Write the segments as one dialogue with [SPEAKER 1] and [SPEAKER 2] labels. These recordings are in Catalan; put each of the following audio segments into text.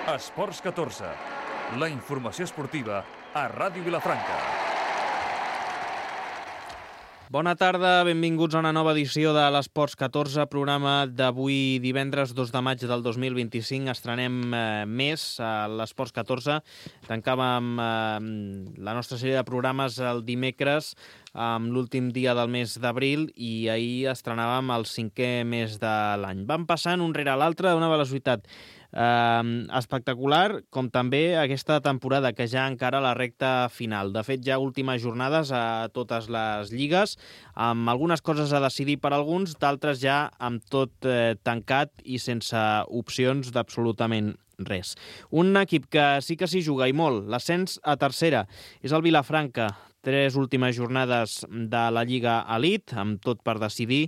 [SPEAKER 1] Esports 14, la informació esportiva a Ràdio Vilafranca.
[SPEAKER 2] Bona tarda, benvinguts a una nova edició de l'Esports 14, programa d'avui divendres 2 de maig del 2025. Estrenem més a l'Esports 14. Tancàvem la nostra sèrie de programes el dimecres amb l'últim dia del mes d'abril i ahir estrenàvem el 5è mes de l'any. Van passant un rere l'altre a una velocitat espectacular, com també aquesta temporada que ja encara la recta final. De fet, ja últimes jornades a totes les lligues, amb algunes coses a decidir per alguns, d'altres ja amb tot tancat i sense opcions d'absolutament res. Un equip que sí que s'hi juga i molt, l'ascens a tercera, és el Vilafranca. 3 últimes jornades de la Lliga Elite, amb tot per decidir.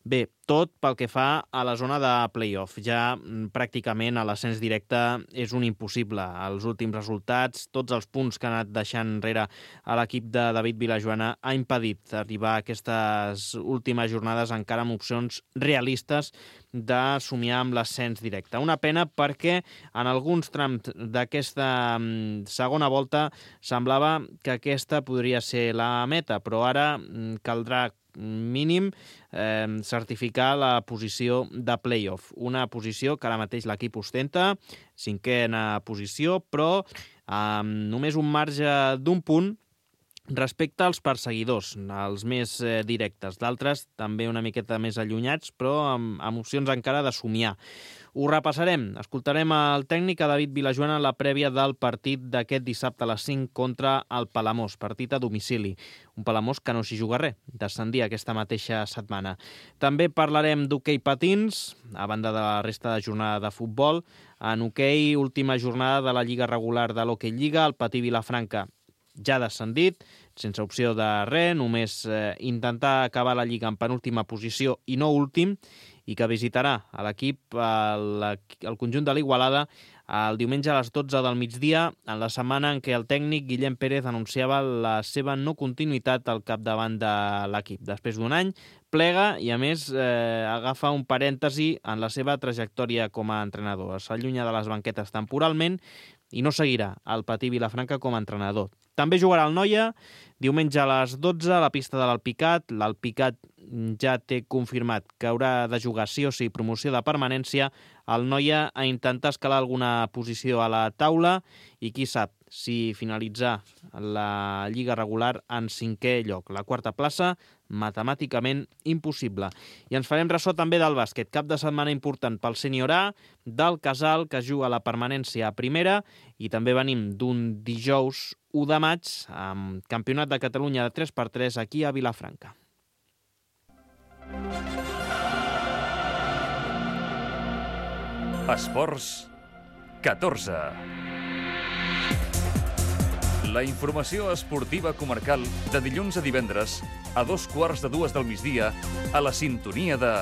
[SPEAKER 2] Bé, tot pel que fa a la zona de play-off. Ja pràcticament a l'ascens directe és un impossible. Els últims resultats, tots els punts que ha anat deixant enrere a l'equip de David Vilajoana ha impedit arribar a aquestes últimes jornades encara amb opcions realistes de somiar amb l'ascens directe. Una pena perquè en alguns trams d'aquesta segona volta semblava que aquesta podria ser la meta, però ara caldrà mínim certificar la posició de play-off. Una posició que ara mateix l'equip ostenta, 5a posició, però amb només un marge d'un punt respecte als perseguidors, els més directes. D'altres també una miqueta més allunyats, però amb opcions encara de somiar. Ho repassarem. Escoltarem el tècnic a David Vilajoana en la prèvia del partit d'aquest dissabte a les 5 contra el Palamós, partit a domicili. Un Palamós que no s'hi juga res, descendia aquesta mateixa setmana. També parlarem d'hoquei patins, a banda de la resta de jornada de futbol. En hoquei, última jornada de la Lliga regular de l'Hoquei Lliga, el Patí Vilafranca ja descendit, sense opció de res, només intentar acabar la Lliga en penúltima posició i no últim, i que visitarà a l'equip el conjunt de l'Igualada el diumenge a les 12 del migdia, en la setmana en què el tècnic Guillem Pérez anunciava la seva no continuïtat al capdavant de l'equip. Després d'un any, plega i, a més, agafa un parèntesi en la seva trajectòria com a entrenador. S'allunya de les banquetes temporalment i no seguirà el Patí Vilafranca com a entrenador. També jugarà el Noia diumenge a les 12 a la pista de l'Alpicat. L'Alpicat ja té confirmat que haurà de jugar sí o sí promoció de permanència. El Noia a intentar escalar alguna posició a la taula i qui sap si finalitzar la Lliga regular en 5è lloc. La quarta plaça, matemàticament impossible. I ens farem ressò també del bàsquet. Cap de setmana important pel Sènior A, del Casal, que juga la permanència a primera, i també venim d'un dijous 1 de maig amb Campionat de Catalunya de 3x3 aquí a Vilafranca.
[SPEAKER 1] Esports 14. La informació esportiva comarcal de dilluns a divendres a 2:15 del migdia a la sintonia de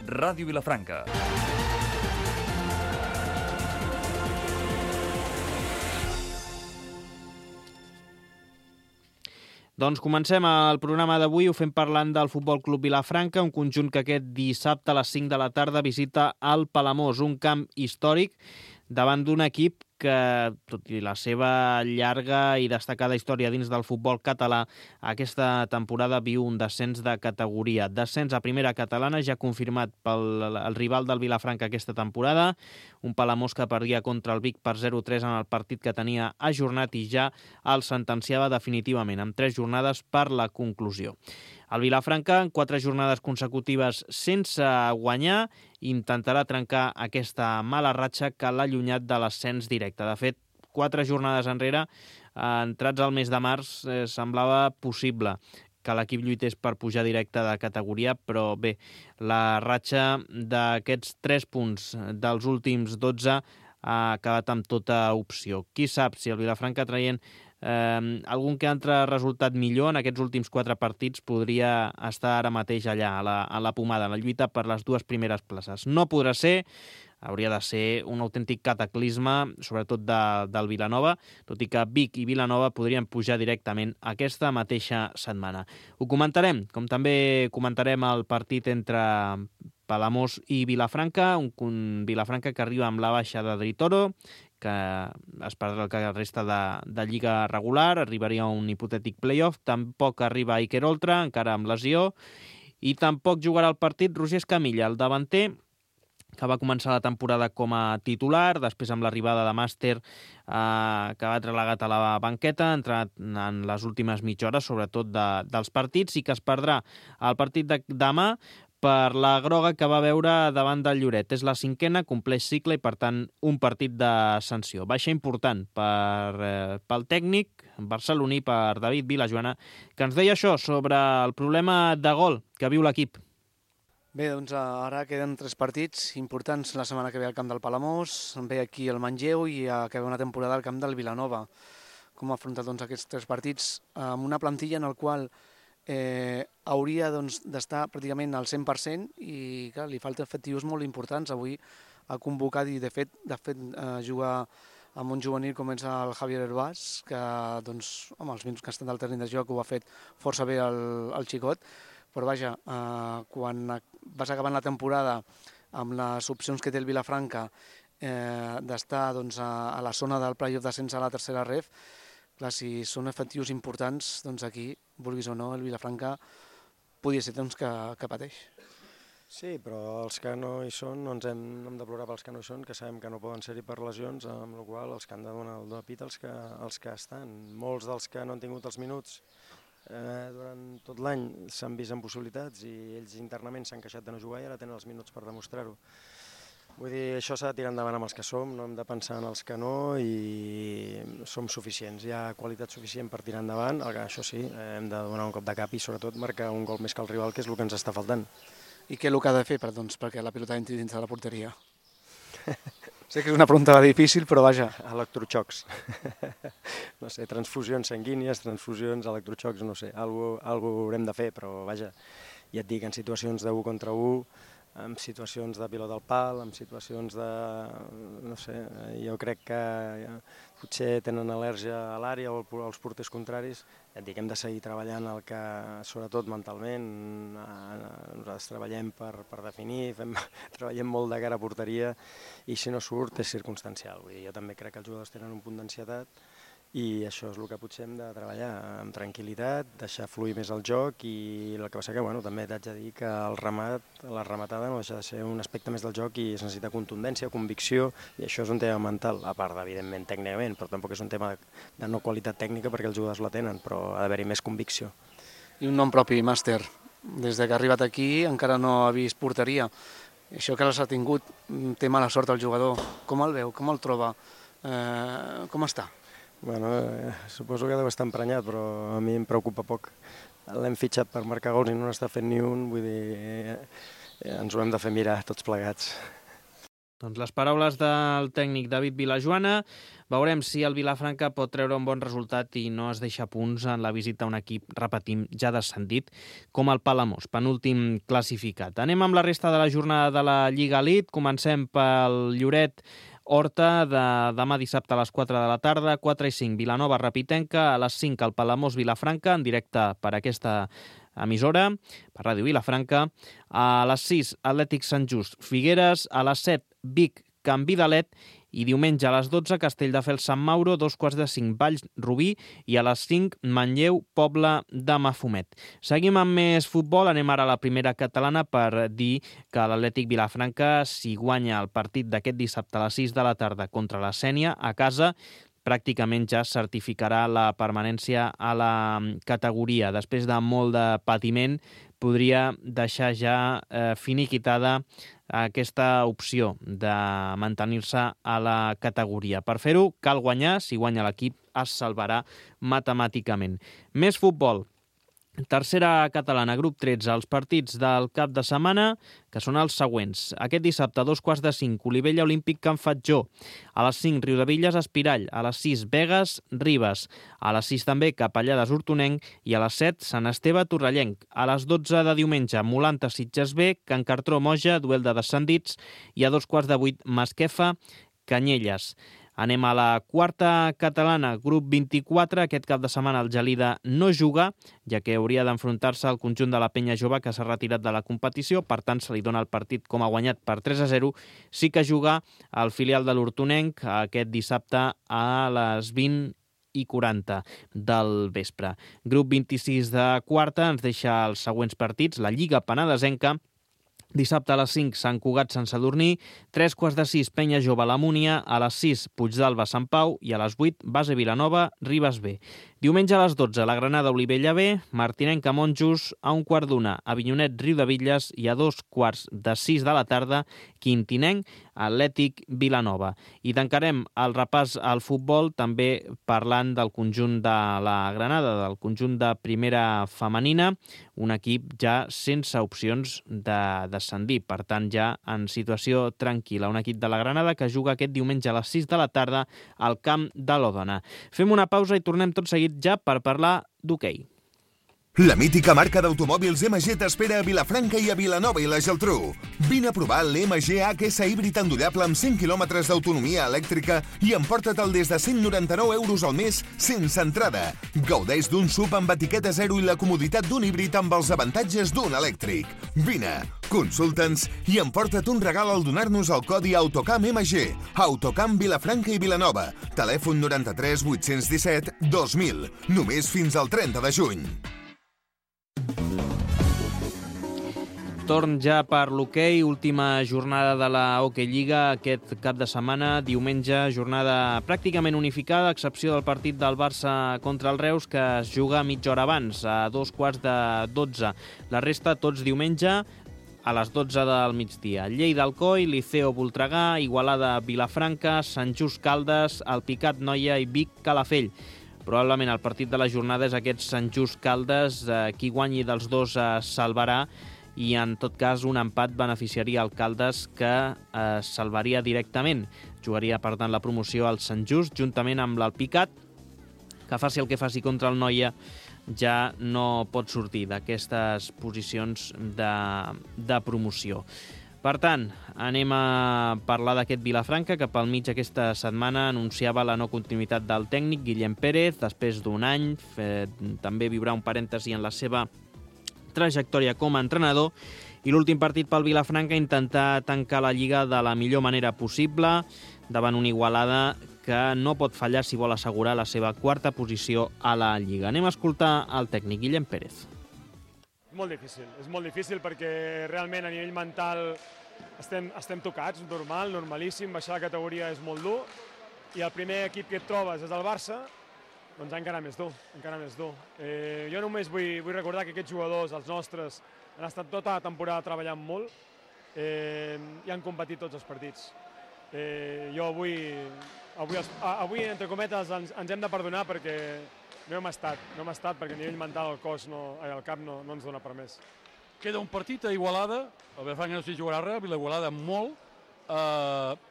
[SPEAKER 1] Ràdio Vilafranca.
[SPEAKER 2] Doncs comencem el programa d'avui, ho fem parlant del Futbol Club Vilafranca, un conjunt que aquest dissabte a les 5 de la tarda visita el Palamós, un camp històric davant d'un equip que, tot i la seva llarga i destacada història dins del futbol català, aquesta temporada viu un descens de categoria. Descens a primera catalana, ja confirmat pel rival del Vilafranca aquesta temporada, un Palamós que perdia contra el Vic per 0-3 en el partit que tenia ajornat i ja el sentenciava definitivament, amb 3 jornades per la conclusió. El Vilafranca, en 4 jornades consecutives sense guanyar, intentarà trencar aquesta mala ratxa que l'ha allunyat de l'ascens directe. De fet, 4 jornades enrere, entrats al mes de març, semblava possible que l'equip lluités per pujar directe de categoria, però bé, la ratxa d'aquests 3 punts dels últims 12 ha acabat amb tota opció. Qui sap si el Vilafranca traient algun que altre resultat millor en aquests últims 4 partits podria estar ara mateix allà, a la pomada, a la lluita per les 2 primeres places. No podrà ser, hauria de ser un autèntic cataclisme, sobretot del Vilanova, tot i que Vic i Vilanova podrien pujar directament aquesta mateixa setmana. Ho comentarem, com també comentarem el partit entre Palamós i Vilafranca, un Vilafranca que arriba amb la baixa de Dritoro, que es perdrà el que resta de lliga regular, arribaria a un hipotètic playoff, tampoc arriba Iker Oltra, encara amb lesió, i tampoc jugarà el partit Roger Escamilla, el davanter, que va començar la temporada com a titular, després amb l'arribada de Màster, que va relegat a la banqueta, ha entrat en les últimes mitja hora, sobretot dels partits, i que es perdrà el partit de demà per la groga que va veure davant del Lloret. És la 5ª, compleix cicle i, per tant, un partit de sanció. Baixa important pel tècnic barceloní, per David Vilajoana, que ens deia això sobre el problema de gol que viu l'equip.
[SPEAKER 3] Bé, doncs ara queden 3 partits importants la setmana que ve al camp del Palamós, ve aquí el Manlleu i acaba una temporada al camp del Vilanova. Com ha afrontat aquests 3 partits amb una plantilla en el qual hauria d'estar pràcticament al 100% i clar, li falten efectius molt importants. Avui ha convocat i de fet jugar amb un juvenil com és el Javier Herbàs, que els minuts que ha estat al terreny de joc ho ha fet força bé el xicot. Però vaja, quan vas acabant la temporada amb les opcions que té el Vilafranca d'estar a la zona del playoff d'ascens a la tercera ref, clar, si són efectius importants, doncs aquí, vulguis o no, el Vilafranca podria ser que pateix.
[SPEAKER 4] Sí, però els que no hi són, no ens hem de plorar pels que no hi són, que sabem que no poden ser-hi per lesions, amb la qual cosa els que han de donar el do de pit els que estan. Molts dels que no han tingut els minuts durant tot l'any s'han vist en possibilitats i ells internament s'han queixat de no jugar i ara tenen els minuts per demostrar-ho. Vull dir, això s'ha de tirar endavant amb els que som, no hem de pensar en els que no i som suficients. Hi ha qualitat suficient per tirar endavant, això sí, hem de donar un cop de cap i sobretot marcar un gol més que el rival, que és el que ens està faltant.
[SPEAKER 3] I què és el que ha de fer perquè la pilota entri dins de la porteria? Sé que és una pregunta difícil, però vaja.
[SPEAKER 4] Electroxocs. No sé, transfusions sanguínies, transfusions, electroxocs, no sé, alguna cosa haurem de fer, però vaja, ja et dic, en situacions d'1 contra 1, en situacions de pilota al pal, en situacions de... no sé, jo crec que potser tenen al·lèrgia a l'àrea o als porters contraris. Ja et dic, hem de seguir treballant el que, sobretot mentalment, nosaltres treballem per definir, treballem molt de cara a porteria i si no surt és circumstancial. Vull dir, jo també crec que els jugadors tenen un punt d'ansietat i això és el que potser hem de treballar amb tranquil·litat, deixar fluir més el joc i el que passa que també t'haig de dir que la rematada no deixa de ser un aspecte més del joc i es necessita contundència, convicció i això és un tema mental, a part evidentment tècnicament, però tampoc és un tema de no qualitat tècnica perquè els jugadors la tenen, però ha d'haver-hi més convicció.
[SPEAKER 3] I un nom propi, Màster. Des que ha arribat aquí encara no ha vist porteria. Això que l'ha tingut, té mala sort el jugador. Com el veu? Com el troba? Com està?
[SPEAKER 4] Bueno, suposo que deu estar emprenyat, però a mi em preocupa poc. L'hem fitxat per marcar gols i no n'està fent ni un, vull dir, ens ho hem de fer mirar tots plegats.
[SPEAKER 2] Doncs les paraules del tècnic David Vilajoana. Veurem si el Vilafranca pot treure un bon resultat i no es deixa punts en la visita a un equip, repetim, ja descendit, com el Palamós, penúltim classificat. Anem amb la resta de la jornada de la Lliga Elite. Comencem pel Lloret Horta, de demà dissabte a les 4 de la tarda, 4 i 5, Vilanova Rapitenca, a les 5 el Palamós Vilafranca, en directe per aquesta emissora, per Ràdio Vilafranca, a les 6 Atlètic Sant Just Figueres, a les 7 Vic Can Vidalet i diumenge a les 12 Castelldefels Sant Mauro, 2:45 Valls Rubí i a les 5 Manlleu Pobla de Mafumet. Seguim amb més futbol, anem ara a la primera catalana per dir que l'Atlètic Vilafranca, si guanya el partit d'aquest dissabte a les 6 de la tarda contra la Sénia a casa, pràcticament ja certificarà la permanència a la categoria. Després de molt de patiment, podria deixar ja finiquitada aquesta opció de mantenir-se a la categoria. Per fer-ho, cal guanyar. Si guanya l'equip, es salvarà matemàticament. Més futbol. Tercera catalana, grup 13, els partits del cap de setmana, que són els següents. Aquest dissabte, 2:45, Olivella Olímpic Can Fatjó. A les 5, Riudebitlles Espirall. A les 6, Begues Ribes. A les 6 també, Capellades Hortonenc. I a les 7, Sant Esteve Torrellenc. A les 12 de diumenge, Molanta Sitges B, Can Cartró Moja, duel de descendits. I a 7:15, Masquefa Canyelles. Anem a la quarta catalana, grup 24. Aquest cap de setmana el Gelida no juga, ja que hauria d'enfrontar-se al conjunt de la Penya Jove, que s'ha retirat de la competició. Per tant, se li dona el partit com a guanyat per 3-0. Sí que juga el filial de l'Hortonenc aquest dissabte a les 20:40 del vespre. Grup 26 de quarta ens deixa els següents partits. La Lliga Penedesenca, dissabte a les 5, Sant Cugat-Sant Sadurní, 3:15, Penya Jove La Múnia, a les 6, Puigdàlber-Sant Pau i a les 8, Base Vilanova, Ribes B. Diumenge a les 12, la Granada Olivella B, Martinenc a Monjos, a 1:15, Avinyonet Riudebitlles i a 2:45 de la tarda, Quintinenc, Atlètic Vilanova. I tancarem el repàs al futbol també parlant del conjunt de la Granada, del conjunt de primera femenina, un equip ja sense opcions de descendir, per tant ja en situació tranquil·la. Un equip de la Granada que juga aquest diumenge a les 6 de la tarda al camp de l'Òdena. Fem una pausa i tornem tot seguit ja per parlar d'hoquei.
[SPEAKER 5] La mítica marca d'automòbils MG t'espera a Vilafranca i a Vilanova i la Geltrú. Vine a provar l'MG HS híbrid endollable amb 100 km d'autonomia elèctrica i emporta-te'l des de 199 € al mes sense entrada. Gaudeix d'un SUV amb etiqueta 0 i la comoditat d'un híbrid amb els avantatges d'un elèctric. Vine, consulta'ns i emporta't un regal al donar-nos el codi Autocam MG. Autocam Vilafranca i Vilanova. Telèfon 93 817 2000. Només fins al 30 de juny.
[SPEAKER 2] Torn ja per l'hoquei, última jornada de la Hockey Lliga aquest cap de setmana, diumenge, jornada pràcticament unificada, a excepció del partit del Barça contra el Reus, que es juga mitja hora abans, a 2:15. La resta, tots diumenge, a les 12 del migdia. Lleida Alcoi, Liceo Voltregà, Igualada Vilafranca, Sant Just Caldes, Alpicat Noia i Vic Calafell. Probablement el partit de la jornada és aquest Sant Just Caldes, qui guanyi dels dos salvarà, i en tot cas un empat beneficiaria el Caldes, que salvaria directament. Jugaria, per tant, la promoció al Sant Just, juntament amb l'Alpicat, que faci el que faci contra el Noia, ja no pot sortir d'aquestes posicions de promoció. Per tant, anem a parlar d'aquest Vilafranca, que pel mig aquesta setmana anunciava la no continuïtat del tècnic Guillem Pérez, després d'un any. També viurà un parèntesi en la seva trajectòria com a entrenador, i l'últim partit pel Vilafranca intentar tancar la Lliga de la millor manera possible davant una Igualada que no pot fallar si vol assegurar la seva quarta posició a la Lliga. Anem a escoltar el tècnic Guillem Pérez.
[SPEAKER 6] És molt difícil perquè realment a nivell mental estem tocats, normal, normalíssim, baixar la categoria és molt dur, i el primer equip que et trobes és el Barça, doncs encara més dur, encara més dur. Jo només vull recordar que aquests jugadors, els nostres, han estat tota la temporada treballant molt i han competit tots els partits. Jo avui, entre cometes, ens hem de perdonar perquè no hem estat perquè a nivell mental el cap no ens dona per més.
[SPEAKER 7] Queda un partit a Igualada, el Vilafranca no s'hi jugarà res, a Igualada molt.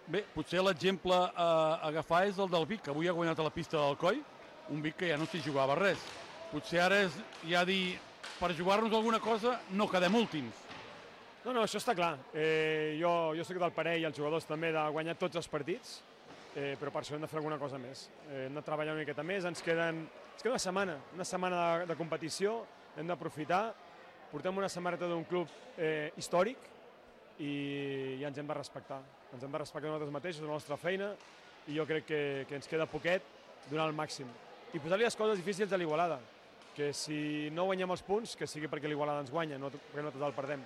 [SPEAKER 7] Bé, potser l'exemple a agafar és el del Vic, que avui ha guanyat a la pista del Coi, un Vic que ja no s'hi jugava res. Potser ara és ja dir, per jugar-nos alguna cosa, no quedem últims.
[SPEAKER 6] No, això està clar. Jo soc del parer, i els jugadors també, de guanyar tots els partits, però per això hem de fer alguna cosa més. Hem de treballar una miqueta més, ens queda una setmana de competició, hem d'aprofitar. Portem una samarreta d'un club històric i ens hem de respectar. Ens hem de respectar nosaltres mateixos, la nostra feina, i jo crec que ens queda poquet donar el màxim. I posar-li les coses difícils a l'Igualada, que si no guanyem els punts, que sigui perquè l'Igualada ens guanya, no perquè nosaltres el perdem.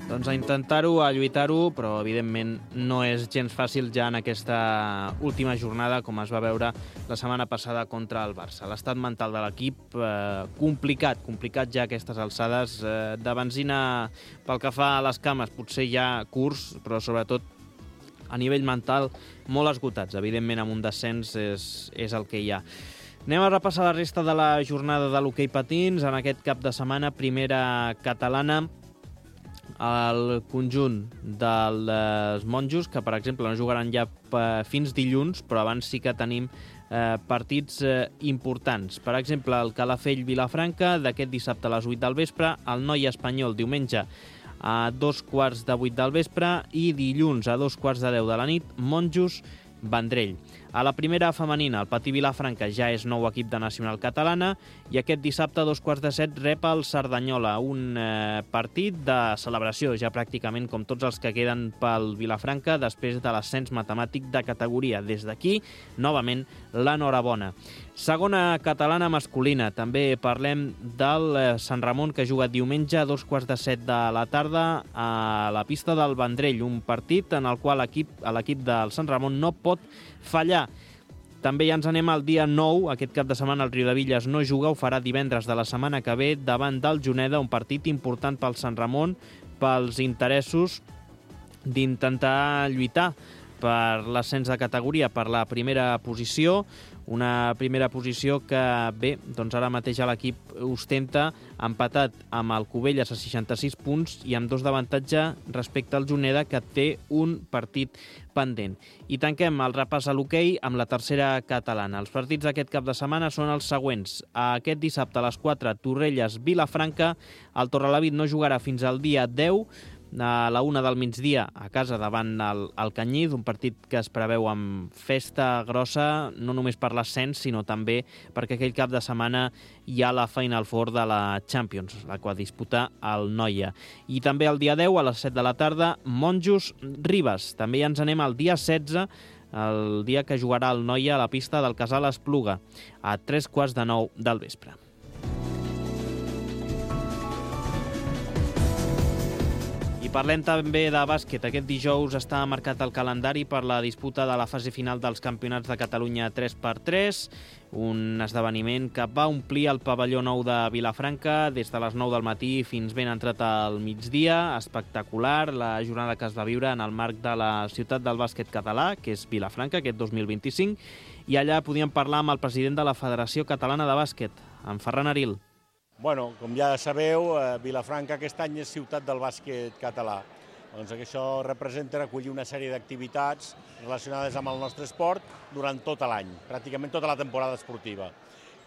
[SPEAKER 2] Doncs a intentar-ho, a lluitar-ho, però evidentment no és gens fàcil ja en aquesta última jornada, com es va veure la setmana passada contra el Barça. L'estat mental de l'equip complicat ja a aquestes alçades, de benzina pel que fa a les cames, potser ja curts, però sobretot a nivell mental molt esgotats. Evidentment amb un descens és el que hi ha. Anem a repassar la resta de la jornada de l'hoquei patins. En aquest cap de setmana, primera catalana, el conjunt dels monjos, que per exemple no jugaran ja fins dilluns, però abans sí que tenim partits importants. Per exemple, el Calafell Vilafranca d'aquest dissabte a les 8 del vespre, el Noia Espanyol diumenge a 7:15 del vespre i dilluns a 2:10 de la nit, Monjos Vendrell. A la primera femenina, el Patí Vilafranca ja és nou equip de Nacional Catalana i aquest dissabte a 7:15 rep el Cerdanyola, un partit de celebració ja pràcticament com tots els que queden pel Vilafranca després de l'ascens matemàtic de categoria. Des d'aquí, novament, l'enhorabona. Segona catalana masculina. També parlem del Sant Ramon, que juga diumenge a 7:15 de la tarda a la pista del Vendrell, un partit en el qual l'equip del Sant Ramon no pot fallar. També ja ens anem al dia 9. Aquest cap de setmana el Riudebitlles no juga, ho farà divendres de la setmana que ve davant del Juneda, un partit important pel Sant Ramon, pels interessos d'intentar lluitar per l'ascens de categoria, per la primera posició, una primera posició que, bé, doncs ara mateix l'equip ostenta empatat amb el Cubelles a 66 punts i amb 2 d'avantatge respecte al Juneda, que té un partit pendent. I tanquem el repàs a l'hoquei amb la tercera catalana. Els partits d'aquest cap de setmana són els següents. Aquest dissabte a les 4, Torrelles-Vilafranca. El Torrelavit no jugarà fins al dia 10, a la 1 del migdia a casa davant el Canyís, un partit que es preveu amb festa grossa, no només per l'ascens, sinó també perquè aquell cap de setmana hi ha la Final Four de la Champions, la qual disputa el Noia. I també el dia 10, a les 7 de la tarda, Monjos-Ribes. També ja ens anem al dia 16, el dia que jugarà el Noia a la pista del Casal Espluga, a 8:45 del vespre. I parlem també de bàsquet. Aquest dijous està marcat el calendari per la disputa de la fase final dels Campionats de Catalunya 3x3, un esdeveniment que va omplir el pavelló nou de Vilafranca des de les 9 del matí fins ben entrat al migdia. Espectacular la jornada que es va viure en el marc de la ciutat del bàsquet català, que és Vilafranca, aquest 2025, i allà podíem parlar amb el president de la Federació Catalana de Bàsquet, en Ferran Aril.
[SPEAKER 8] Bueno, com ja sabeu, Vilafranca aquest any és ciutat del bàsquet català. Doncs això representa recollir una sèrie d'activitats relacionades amb el nostre esport durant tot l'any, pràcticament tota la temporada esportiva.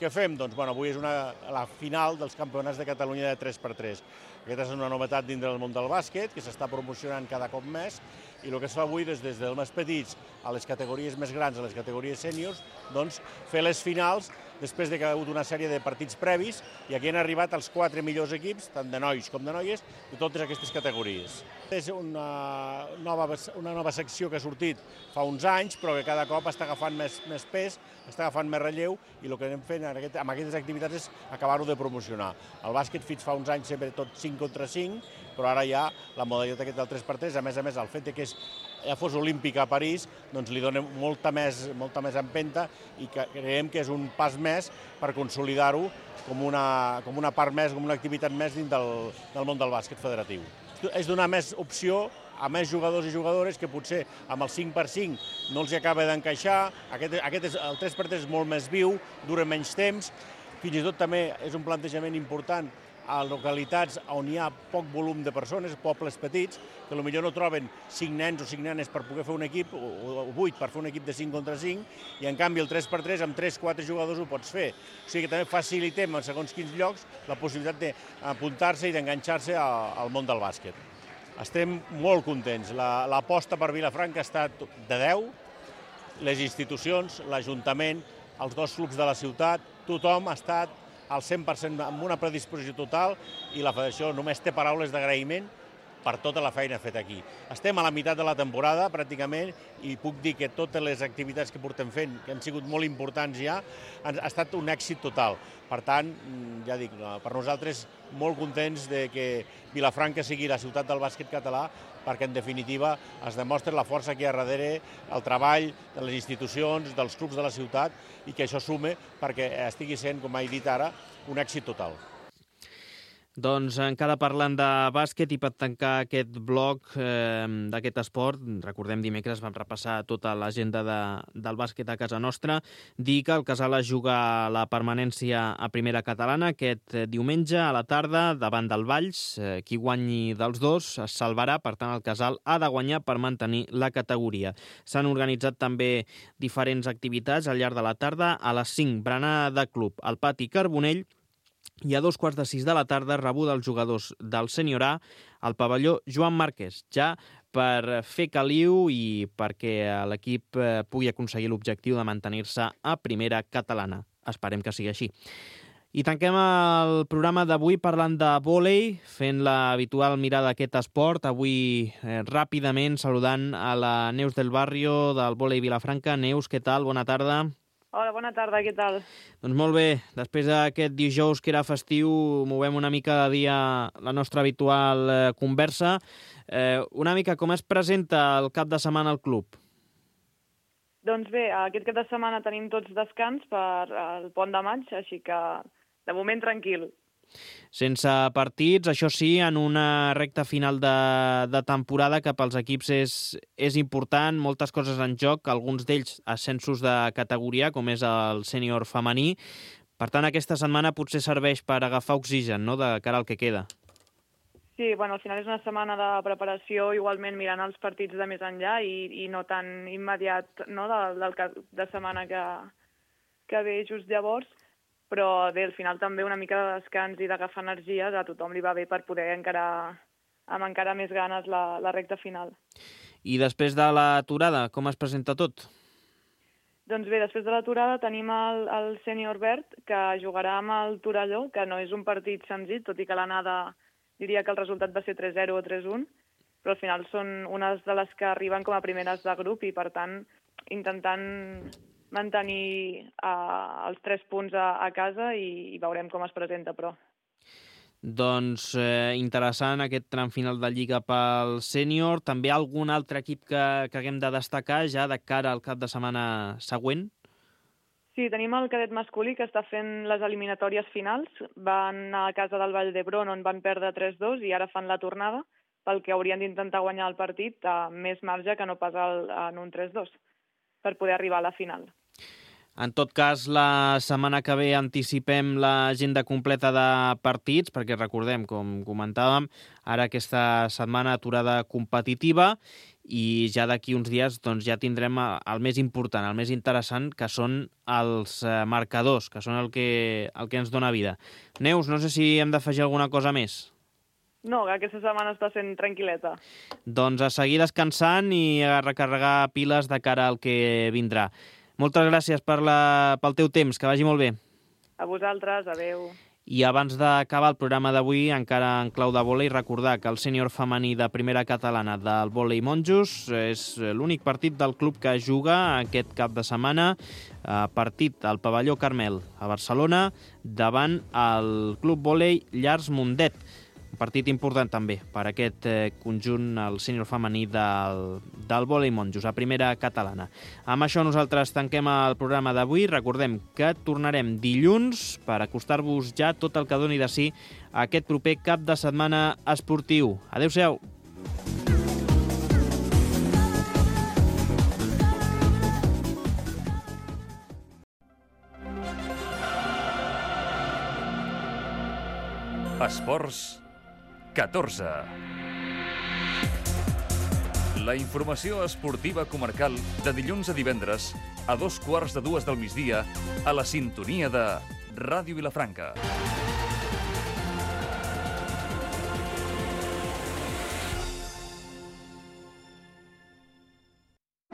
[SPEAKER 8] Què fem? Doncs avui és la final dels Campionats de Catalunya de 3x3. Aquesta és una novetat dins del món del bàsquet, que s'està promocionant cada cop més, i el que es fa avui des dels més petits a les categories més grans, a les categories sèniors, doncs fer les finals després que ha hagut una sèrie de partits previs, i aquí han arribat els 4 millors equips, tant de nois com de noies, de totes aquestes categories. És una nova secció que ha sortit fa uns anys, però que cada cop està agafant més pes, està agafant més relleu, i el que anem fent amb aquestes activitats és acabar-ho de promocionar. El bàsquet fins fa uns anys sempre tot 5 contra 5, però ara ja la modalitat aquest del 3x3, a més, el fet que ja fos olímpic a París, doncs li dona molta més empenta, i creiem que és un pas més per consolidar-ho com una part més, com una activitat més dins del món del bàsquet federatiu. És donar més opció a més jugadors i jugadores que potser amb el 5x5 no els acaba d'encaixar. El 3x3 és molt més viu, dura menys temps, fins i tot també és un plantejament important a localitats on hi ha poc volum de persones, pobles petits, que potser no troben 5 nens o 5 nenes per poder fer un equip, o 8 per fer un equip de 5 contra 5, i en canvi el 3x3 amb 3-4 jugadors ho pots fer. O sigui que també facilitem en segons quins llocs la possibilitat d'apuntar-se i d'enganxar-se al món del bàsquet. Estem molt contents. L'aposta per Vilafranca ha estat de 10, les institucions, l'Ajuntament, els 2 clubs de la ciutat, tothom ha estat al 100% amb una predisposició total, i la Federació només té paraules d'agraïment per tota la feina feta aquí. Estem a la meitat de la temporada, pràcticament, i puc dir que totes les activitats que portem fent, que han sigut molt importants ja, ha estat un èxit total. Per tant, ja dic, per nosaltres molt contents de que Vilafranca sigui la ciutat del bàsquet català, perquè en definitiva es demostra la força que hi ha darrere, el treball de les institucions, dels clubs de la ciutat, i que això sume perquè estigui sent, com he dit ara, un èxit total.
[SPEAKER 2] Doncs encara parlant de bàsquet, i per tancar aquest bloc d'aquest esport, recordem dimecres vam repassar tota l'agenda del bàsquet a casa nostra, dir que el Casal es juga la permanència a primera catalana aquest diumenge a la tarda davant del Valls. Qui guanyi dels dos es salvarà, per tant el Casal ha de guanyar per mantenir la categoria. S'han organitzat també diferents activitats al llarg de la tarda. A les 5, berenar de club al Pati Carbonell, i a 2:15 de la tarda rebuda els jugadors del Sènior A al pavelló Joan Márquez, ja per fer caliu i perquè l'equip pugui aconseguir l'objectiu de mantenir-se a primera catalana. Esperem que sigui així. I tanquem el programa d'avui parlant de vòlei, fent l'habitual mirada a aquest esport. Avui ràpidament saludant a la Neus del Barrio del vòlei Vilafranca. Neus, què tal? Bona tarda.
[SPEAKER 9] Hola, bona tarda, què tal?
[SPEAKER 2] Doncs molt bé, després d'aquest dijous que era festiu, movem una mica de dia la nostra habitual conversa. Una mica com es presenta el cap de setmana al club?
[SPEAKER 9] Doncs bé, aquest cap de setmana tenim tots descans per el pont de maig, així que de moment tranquil.
[SPEAKER 2] Sense partits, això sí, en una recta final de temporada que pels equips és important, moltes coses en joc, alguns d'ells ascensos de categoria, com és el sènior femení. Per tant, aquesta setmana potser serveix per agafar oxigen, no?, de cara al que queda.
[SPEAKER 9] Sí, bueno, al final és una setmana de preparació, igualment mirant els partits de més enllà i no tan immediat, no?, del cap de setmana que ve just llavors. Però bé, al final també una mica de descans i d'agafar energies a tothom li va bé per poder encarar amb encara més ganes la recta final.
[SPEAKER 2] I després de l'aturada, com es presenta tot?
[SPEAKER 9] Doncs bé, després de l'aturada tenim el sènior verd, que jugarà amb el Torelló, que no és un partit senzill, tot i que l'anada diria que el resultat va ser 3-0 o 3-1, però al final són unes de les que arriben com a primeres de grup i, per tant, intentant mantenir els 3 punts a casa i veurem com es presenta, però.
[SPEAKER 2] Doncs interessant aquest tram final de Lliga pel sènior. També algun altre equip que haguem de destacar ja de cara al cap de setmana següent?
[SPEAKER 9] Sí, tenim el cadet masculí que està fent les eliminatòries finals. Van a casa del Vall d'Hebron on van perdre 3-2 i ara fan la tornada, pel que haurien d'intentar guanyar el partit a més marge que no pas en un 3-2 per poder arribar a la final.
[SPEAKER 2] En tot cas, la setmana que ve anticipem l'agenda completa de partits, perquè recordem, com comentàvem, ara aquesta setmana aturada competitiva i ja d'aquí uns dies doncs, ja tindrem el més important, el més interessant, que són els marcadors, que són el que ens dona vida. Neus, no sé si hem d'afegir alguna cosa més.
[SPEAKER 9] No, aquesta setmana està sent tranquil·leta.
[SPEAKER 2] Doncs a seguir descansant i a recarregar piles de cara al que vindrà. Moltes gràcies pel teu temps, que vagi molt bé.
[SPEAKER 9] A vosaltres, adeu.
[SPEAKER 2] I abans d'acabar el programa d'avui, encara en clau de vòlei, recordar que el sènior femení de primera catalana del vòlei Monjos és l'únic partit del club que juga aquest cap de setmana, partit al pavelló Carmel a Barcelona davant el club vòlei Llars Mundet. Un partit important també per aquest conjunt, el sènior femení del vòlei Monjos, a primera catalana. Amb això nosaltres tanquem el programa d'avui. Recordem que tornarem dilluns per acostar-vos ja tot el que doni de si aquest proper cap de setmana esportiu. Adéu-siau.
[SPEAKER 1] Esports 14. La informació esportiva comarcal de dilluns a divendres a 2:15 del migdia a la sintonia de Ràdio Vilafranca.